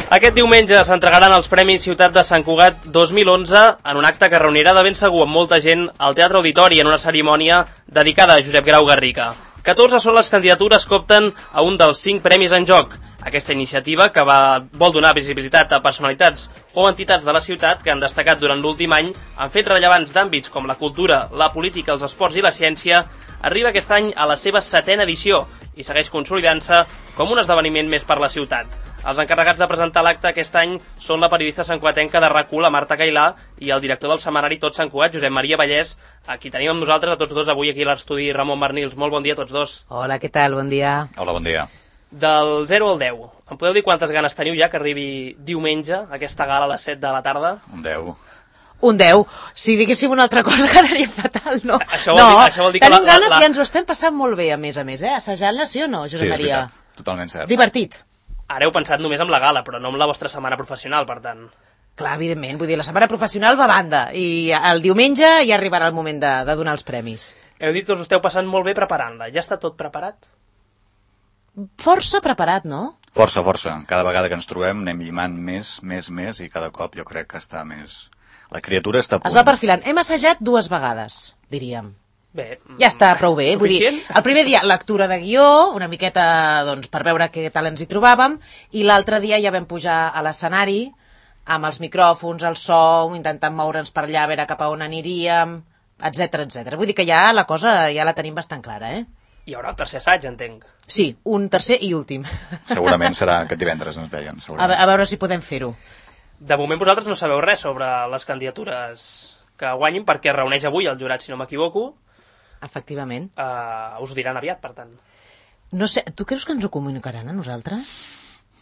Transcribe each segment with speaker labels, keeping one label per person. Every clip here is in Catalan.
Speaker 1: Aquest diumenge s'entregaran els Premis Ciutat de Sant Cugat 2011 en un acte que reunirà de ben segur amb molta gent al Teatre Auditori en una cerimònia dedicada a Josep Grau Garriga. 14 són les candidatures que opten a un dels 5 premis en joc. Aquesta iniciativa, que vol donar visibilitat a personalitats o entitats de la ciutat que han destacat durant l'últim any, han fet rellevants d'àmbits com la cultura, la política, els esports i la ciència, arriba aquest any a la seva 7ª edició i segueix consolidant-se com un esdeveniment més per la ciutat. Els encarregats de presentar l'acte aquest any són la periodista santcugatenca de RAC1, la Marta Cailà, i el director del setmanari Tot Sant Cugat, Josep Maria Vallès, a qui tenim amb nosaltres a tots dos avui aquí a l'estudi, Ramon Bernils. Molt bon dia a tots dos.
Speaker 2: Hola, què tal? Bon dia.
Speaker 3: Hola, bon dia.
Speaker 1: Del 0 al 10, em podeu dir quantes ganes teniu ja que arribi diumenge, aquesta gala a les 7 de la tarda?
Speaker 3: Un 10.
Speaker 2: Un 10. Si diguéssim una altra cosa quedaria fatal, no?
Speaker 1: Això vol dir que
Speaker 2: tenim ganes i ens ho estem passant molt bé, a més, assajant-la, sí o no, Josep Maria?
Speaker 3: Sí, és veritat, totalment cert.
Speaker 2: Divertit.
Speaker 1: Ara heu pensat només en la gala, però no en la vostra setmana professional, per tant.
Speaker 2: Clar, evidentment, vull dir, la setmana professional va a banda, i el diumenge ja arribarà el moment de donar els premis.
Speaker 1: Heu dit que us esteu passant molt bé preparant-la. Ja està tot preparat?
Speaker 2: Força preparat, no?
Speaker 3: Força. Cada vegada que ens trobem anem llimant més, i cada cop jo crec que està més... La criatura està a punt.
Speaker 2: Es va perfilant. Hem assajat 2 vegades, diríem.
Speaker 1: Bé,
Speaker 2: ja està prou bé, vull dir,
Speaker 1: suficient?
Speaker 2: el primer dia lectura de guió, una miqueta doncs, per veure què tal ens hi trobàvem, i l'altre dia ja vam pujar a l'escenari amb els micròfons, el so, intentant moure'ns per allà, a veure cap a on aniríem, etc. Vull dir que ja la cosa ja la tenim bastant clara, eh?
Speaker 1: Hi haurà el tercer assaig, entenc.
Speaker 2: Sí, un tercer i últim.
Speaker 3: Segurament serà aquest divendres, ens deien.
Speaker 2: A veure si podem fer-ho.
Speaker 1: De moment vosaltres no sabeu res sobre les candidatures que guanyin, perquè es reuneix avui el jurat, si no m'equivoco.
Speaker 2: Efectivament.
Speaker 1: Us ho diran aviat, per tant.
Speaker 2: No sé, tu creus que ens ho comunicaran a nosaltres?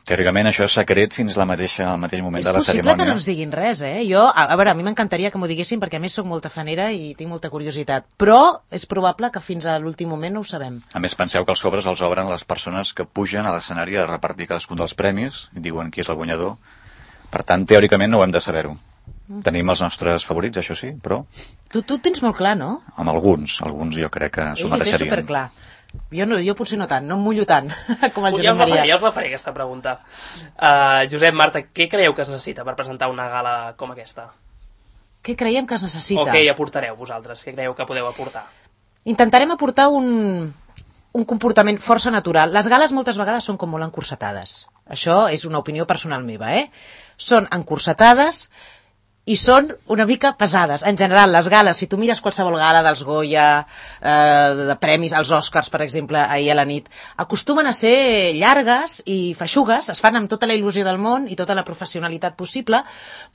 Speaker 3: Teòricament això és secret fins al mateix moment de la cerimònia.
Speaker 2: És possible que no ens diguin res, eh? Jo, a veure, a mi m'encantaria que m'ho diguessin perquè a més sóc molta fanera i tinc molta curiositat, però és probable que fins a l'últim moment no ho sabem.
Speaker 3: A més, penseu que els sobres els obren les persones que pugen a l'escenari a repartir cadascun dels premis i diuen qui és el guanyador. Per tant, teòricament no ho hem de saber-ho. Tenim els nostres favorits, això sí, però...
Speaker 2: Tu tens molt clar, no?
Speaker 3: Amb alguns jo crec que s'ho mereixerien.
Speaker 2: Té superclar. Jo potser no tant, no em mullo tant com el Josep Maria.
Speaker 1: Ja us la faré, aquesta pregunta. Josep, Marta, què creieu que es necessita per presentar una gala com aquesta?
Speaker 2: Què creiem que es necessita?
Speaker 1: O què hi aportareu vosaltres? Què creieu que podeu aportar?
Speaker 2: Intentarem aportar un comportament força natural. Les gales moltes vegades són com molt encursetades. Això és una opinió personal meva, eh? Són encursetades i són una mica pesades. En general, les gales, si tu mires qualsevol gala dels Goya, de premis, els Oscars, per exemple, ahir a la nit, acostumen a ser llargues i feixugues, es fan amb tota la il·lusió del món i tota la professionalitat possible,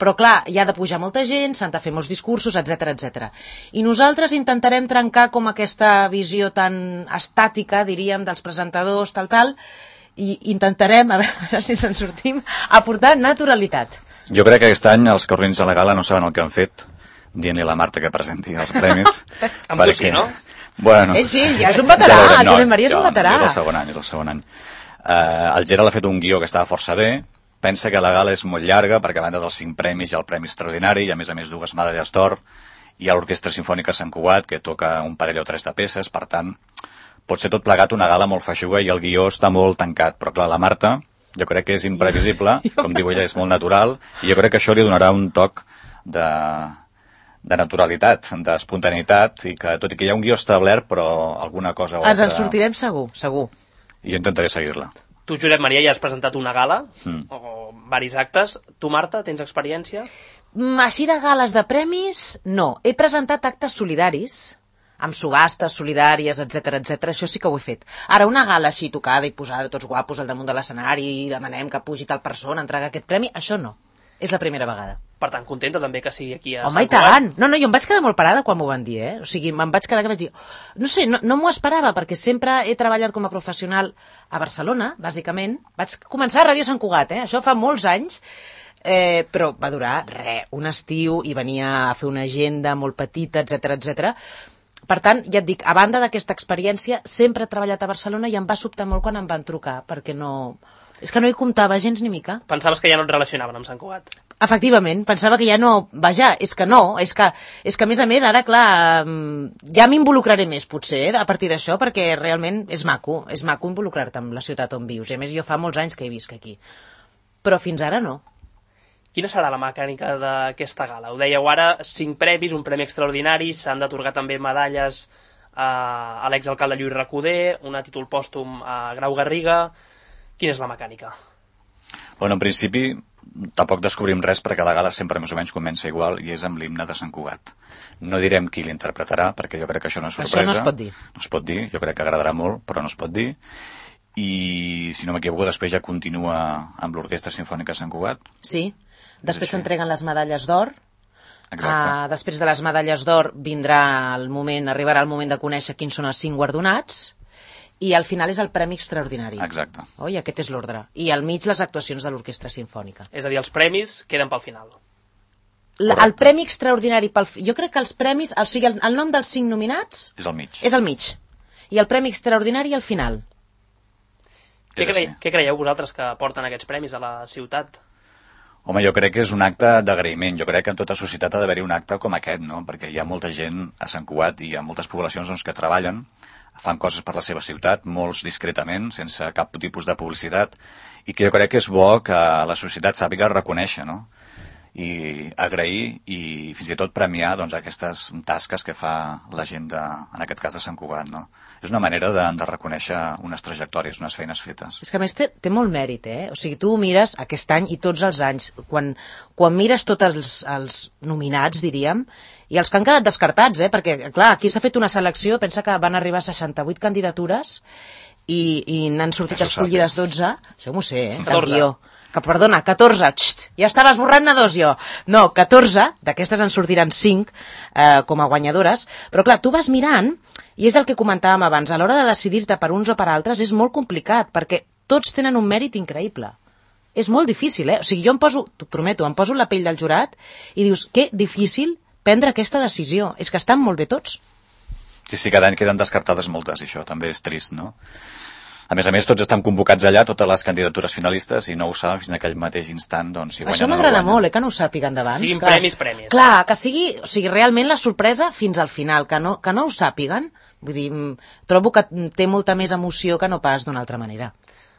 Speaker 2: però clar, hi ha de pujar molta gent, s'han de fer molts discursos, etc. I nosaltres intentarem trencar com aquesta visió tan estàtica, diríem, dels presentadors, tal, i intentarem, a veure si se'n sortim, aportar naturalitat.
Speaker 3: Jo crec que aquest any els que organitzen la gala no saben el que han fet, dient-li a la Marta que presenti els premis.
Speaker 1: Amb tu sí, no?
Speaker 3: Bueno,
Speaker 2: ell sí, ja és un veterà, el Josep Maria és un veterà.
Speaker 3: És el segon any. El Gerald ha fet un guió que estava força bé, pensa que la gala és molt llarga, perquè a banda dels 5 premis hi ha el Premi Extraordinari, i a més 2 medalles d'or, hi ha l'Orquestra Simfònica Sant Cugat, que toca un parell o 3 de peces, per tant, pot ser tot plegat una gala molt feixuga i el guió està molt tancat, però clar, la Marta... Jo crec que és imprevisible, com diu ella, és molt natural, i jo crec que això li donarà un toc de naturalitat, d'espontaneïtat, i que tot i que hi ha un guió establert, però alguna cosa o altra...
Speaker 2: Ens en sortirem segur.
Speaker 3: I jo intentaré seguir-la.
Speaker 1: Tu, Josep Maria, ja has presentat una gala, o varis actes. Tu, Marta, tens experiència?
Speaker 2: Així de gales de premis, no. He presentat actes solidaris, amb subhastes solidàries, etc. Això sí que ho he fet. Ara, una gala així tocada i posada tots guapos al damunt de l'escenari i demanem que pugi tal persona a entregar aquest premi, això no. És la primera vegada.
Speaker 1: Per tant, contenta també que sigui aquí a
Speaker 2: Home, i tant! No, jo em vaig quedar molt parada quan m'ho van dir, eh? O sigui, me'n vaig quedar que vaig dir... No sé, no m'ho esperava, perquè sempre he treballat com a professional a Barcelona, bàsicament. Vaig començar a Ràdio Sant Cugat, això fa molts anys, però va durar, un estiu, i venia a fer una agenda molt petita, etc. Per tant, ja et dic, a banda d'aquesta experiència, sempre he treballat a Barcelona i em va sobtar molt quan em van trucar, perquè no... És que no hi comptava gens ni mica.
Speaker 1: Pensaves que ja no et relacionaven amb Sant Cugat?
Speaker 2: Efectivament, pensava que ja no... Vaja, és que no, és que a més, ara, clar, ja m'involucraré més, potser, a partir d'això, perquè realment és maco involucrar-te amb la ciutat on vius. I a més, jo fa molts anys que he visc aquí. però fins ara no.
Speaker 1: Quina serà la mecànica d'aquesta gala? Ho dèieu ara, 5 premis, un premi extraordinari, s'han d'atorgar també medalles a l'exalcalde Lluís Recoder, un títol pòstum a Grau Garriga. Quina és la mecànica?
Speaker 3: Bueno, en principi, tampoc descobrim res perquè la gala sempre més o menys comença igual i és amb l'himne de Sant Cugat. No direm qui l'interpretarà, perquè jo crec que això no és sorpresa.
Speaker 2: Això no es pot dir.
Speaker 3: No es pot dir, jo crec que agradarà molt, però no es pot dir. I, si no m'equivoco, després ja continua amb l'Orquestra Simfònica de Sant Cugat.
Speaker 2: Sí, després s'entreguen les medalles d'or. Després de les medalles d'or arribarà el moment de conèixer quins són els 5 guardonats i al final és el Premi Extraordinari.
Speaker 3: Exacte.
Speaker 2: Oi, aquest és l'ordre. I al mig les actuacions de l'Orquestra Simfònica.
Speaker 1: És a dir, els premis queden pel final.
Speaker 2: El Premi Extraordinari, jo crec que els premis, o sigui, el nom dels 5 nominats
Speaker 3: és al mig.
Speaker 2: És al mig. I el Premi Extraordinari al final.
Speaker 1: Què creieu vosaltres que porten aquests premis a la ciutat?
Speaker 3: Home, jo crec que és un acte d'agraïment. Jo crec que en tota societat ha d'haver-hi un acte com aquest, no? Perquè hi ha molta gent a Sant Cugat i hi ha moltes poblacions doncs, que treballen, fan coses per la seva ciutat, molts discretament, sense cap tipus de publicitat, i que jo crec que és bo que la societat sàpiga reconèixer, no? I agrair i fins i tot premiar doncs, aquestes tasques que fa la gent, en aquest cas de Sant Cugat, no? És una manera de reconèixer unes trajectòries, unes feines fetes.
Speaker 2: És que a més té molt mèrit, eh? O sigui, tu ho mires aquest any i tots els anys, quan mires tots els nominats, diríem, i els que han quedat descartats, perquè, clar, aquí s'ha fet una selecció, pensa que van arribar a 68 candidatures i n'han sortit escollides 12, això m'ho sé,
Speaker 1: 14.
Speaker 2: Perdona, 14, ja estava esborrant-ne 2 jo. No, 14, d'aquestes en sortiran 5 com a guanyadores, però clar, tu vas mirant, i és el que comentàvem abans, a l'hora de decidir-te per uns o per altres és molt complicat, perquè tots tenen un mèrit increïble. És molt difícil, O sigui, jo t'ho prometo, em poso la pell del jurat i dius, que difícil prendre aquesta decisió. És que estan molt bé tots.
Speaker 3: Sí, cada any queden descartades moltes, i això també és trist, no? A més, tots estan convocats allà, totes les candidatures finalistes, i no ho saben fins en aquell mateix instant, doncs, si guanyen o no guanyen.
Speaker 2: Això m'agrada molt, que no ho sàpiguen d'abans.
Speaker 1: Siguin premis.
Speaker 2: Clar, que sigui realment la sorpresa fins al final, que no ho sàpiguen. Vull dir, trobo que té molta més emoció que no pas d'una altra manera.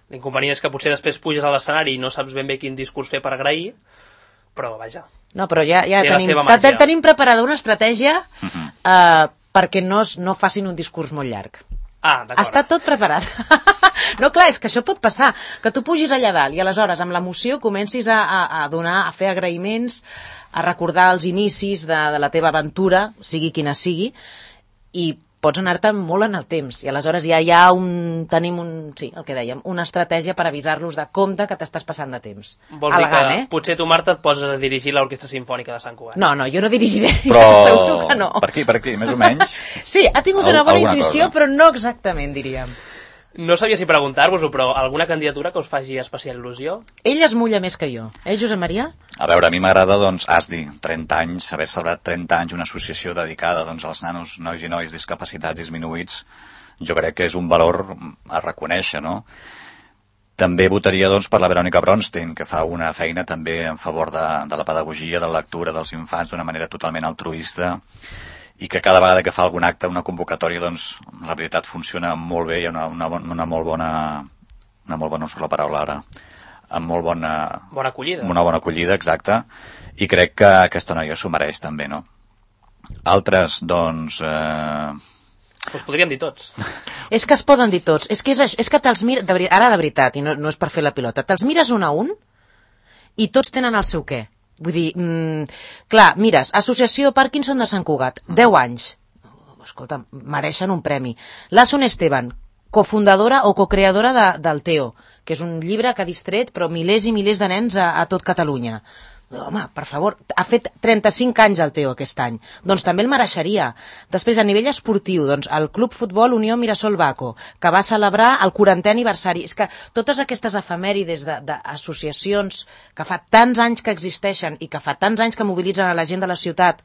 Speaker 1: L'inconvenient és que potser després puges a l'escenari i no saps ben bé quin discurs fer per agrair, però vaja.
Speaker 2: No, però ja tenim preparada una estratègia perquè no facin un discurs molt llarg.
Speaker 1: D'acord.
Speaker 2: Està tot preparat. No, clar, és que això pot passar, que tu pugis allà dalt i aleshores amb l'emoció comencis a fer agraïments, a recordar els inicis de la teva aventura, sigui quina sigui, i pots anar-te molt en el temps, i aleshores ja tenim el que dèiem, una estratègia per avisar-los de compte que t'estàs passant de temps.
Speaker 1: Vols dir que potser tu, Marta, et poses a dirigir l'Orquestra Simfònica de Sant Cugat?
Speaker 2: No, jo no dirigiré,
Speaker 3: però...
Speaker 2: segur que no.
Speaker 3: Per aquí, més o menys?
Speaker 2: Sí, ha tingut una bona intuïció, però no exactament, diríem.
Speaker 1: No sabia si preguntar-vos-ho, però alguna candidatura que us faci especial il·lusió?
Speaker 2: Ell es mulla més que jo. Josep Maria?
Speaker 3: A veure, a mi m'agrada, doncs, ASDI, 30 anys, haver celebrat 30 anys una associació dedicada doncs, als nanos, nois i noies discapacitats disminuïts. Jo crec que és un valor a reconèixer, no? També votaria, doncs, per la Verònica Bronstein, que fa una feina també en favor de la pedagogia, de la lectura dels infants d'una manera totalment altruista, i que cada vegada que fa algun acte, una convocatòria, doncs, la veritat funciona molt bé, hi ha una molt bona, no surt la paraula ara, amb molt bona...
Speaker 1: Bona acollida.
Speaker 3: Una bona acollida, exacte, i crec que aquesta noia s'ho mereix també, no? Altres, doncs...
Speaker 1: Us podríem dir tots.
Speaker 2: És que es poden dir tots, és que te'ls mires, ara de veritat, i no és per fer la pilota, te'ls mires un a un i tots tenen el seu què. Vull dir, clar, mires, Associació Parkinson de Sant Cugat, 10 anys. Escolta, mereixen un premi. L'Assun Esteban, cofundadora o cocreadora del TEO, que és un llibre que ha distret però milers i milers de nens a tot Catalunya. Home, per favor, ha fet 35 anys el Teo aquest any, doncs també el mereixeria. Després, a nivell esportiu, doncs el Club Futbol Unió Mirasol Baco, que va celebrar el 40è aniversari. És que totes aquestes efemèrides d'associacions que fa tants anys que existeixen i que fa tants anys que mobilitzen a la gent de la ciutat,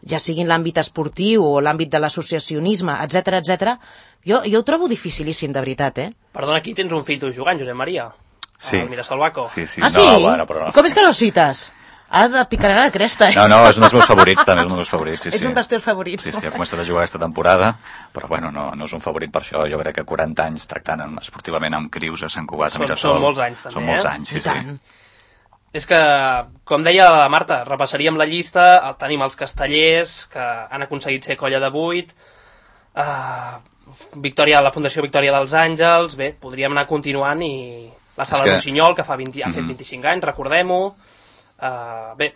Speaker 2: ja siguin l'àmbit esportiu o l'àmbit de l'associacionisme, etc., jo ho trobo dificilíssim, de veritat,
Speaker 1: Perdona, aquí tens un fill tu jugant, Josep Maria.
Speaker 3: Sí.
Speaker 1: El Mirasol Baco.
Speaker 3: Sí.
Speaker 2: Ah, sí?
Speaker 3: No, bueno, però no.
Speaker 2: Com és que no el cites? Ara picarà la cresta,
Speaker 3: No, és un dels meus favorits, també és un dels meus favorits, sí.
Speaker 2: És un dels teus favorits.
Speaker 3: Sí, ha començat a jugar aquesta temporada, però bueno, no és un favorit per això. Jo crec que 40 anys tractant esportivament amb crius a Sant Cugat, a Mirasol.
Speaker 1: Són molts anys, també,
Speaker 3: Són molts anys, sí.
Speaker 1: És que, com deia la Marta, repassaríem la llista, tenim els castellers, que han aconseguit ser colla de 8, la Fundació Victòria dels Àngels, bé, podríem anar continuant, i la Sala Rossinyol, que ha fet 25 anys, recordem-ho. Bé,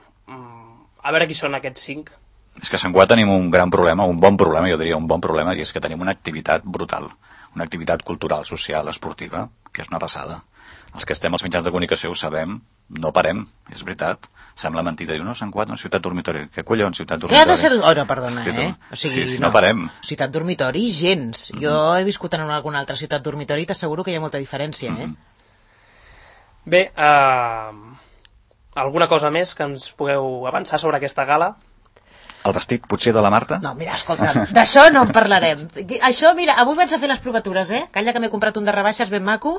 Speaker 1: a veure qui són aquests 5.
Speaker 3: És que a Sant Cugat tenim un gran problema, un bon problema, jo diria un bon problema, i és que tenim una activitat brutal, una activitat cultural, social, esportiva, que és una passada. Els que estem als mitjans de comunicació ho sabem, no parem, és veritat. Sembla mentida, diu, no, Sant Cugat, no, ciutat dormitori. Què collons, ciutat dormitori?
Speaker 2: Què ha de ser... Oh, no, perdona, O sigui,
Speaker 3: sí, no parem.
Speaker 2: Ciutat dormitori, gens. Jo he viscut en alguna altra ciutat dormitori i t'asseguro que hi ha molta diferència,
Speaker 1: Bé, alguna cosa més que ens pugueu avançar sobre aquesta gala?
Speaker 3: El vestit, potser, de la Marta?
Speaker 2: No, mira, escolta, d'això no en parlarem. Això, mira, avui vaig a fer les provatures, Calla que m'he comprat un de rebaixes ben maco.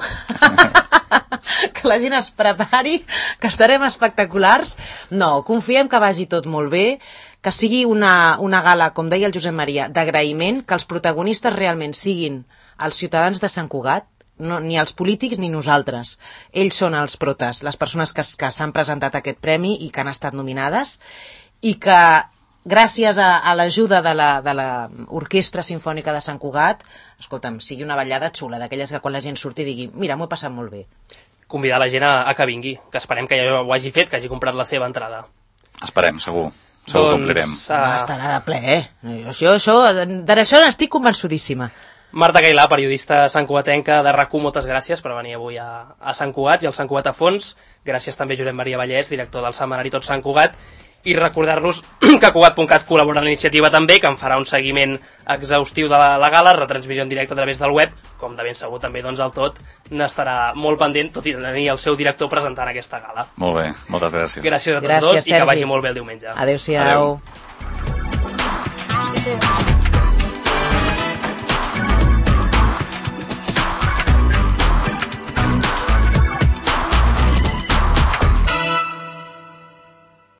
Speaker 2: Que la gent es prepari, que estarem espectaculars. No, confiem que vagi tot molt bé, que sigui una gala, com deia el Josep Maria, d'agraïment, que els protagonistes realment siguin els ciutadans de Sant Cugat, no, ni els polítics ni nosaltres. Ells són els protes, les persones que s'han presentat a aquest premi i que han estat nominades, i que gràcies a l'ajuda de l'Orquestra Simfònica de Sant Cugat, escolta'm, sigui una ballada xula, d'aquelles que quan la gent surti digui, mira, m'ho he passat molt bé.
Speaker 1: Convidar la gent a que vingui, que esperem que ja ho hagi fet, que hagi comprat la seva entrada.
Speaker 3: Esperem, segur que complirem.
Speaker 2: Estarà de ple, d'això n'estic convençudíssima.
Speaker 1: Marta Cailà, periodista santcugatenca de RAC1, moltes gràcies per venir avui a Sant Cugat i al Sant Cugat a fons. Gràcies també a Josep Maria Vallès, director del Setmanari Tot Sant Cugat. I recordar-los que Cugat.cat col·labora en l'iniciativa també, que en farà un seguiment exhaustiu de la gala, retransmissió en directe a través del web, com de ben segur també doncs el Tot n'estarà molt pendent, tot i tenir el seu director presentant aquesta gala.
Speaker 3: Molt bé, moltes gràcies.
Speaker 1: Gràcies a tots dos i que vagi molt bé el diumenge.
Speaker 2: Adéu-siau.
Speaker 3: Adéu.